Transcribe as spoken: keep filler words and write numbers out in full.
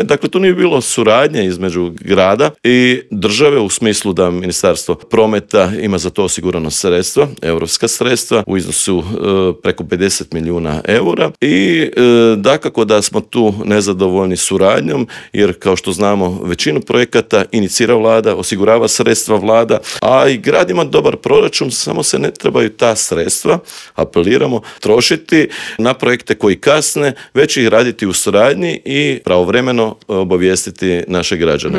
Dakle, tu nije bilo suradnje između grada i države u smislu da Ministarstvo prometa ima za to osigurano sredstva, europska sredstva u iznosu e, preko pedeset milijuna eura i e, dakako da smo tu nezadovoljni suradnjom jer kao što znamo većinu projekata inicira vlada, osigurava sredstva vlada, a i grad ima dobar proračun, samo se ne trebaju ta sredstva, apeliramo, trošiti na projekte koji kasne, već ih raditi u suradnji i pravovremeno obavijestiti naše građane.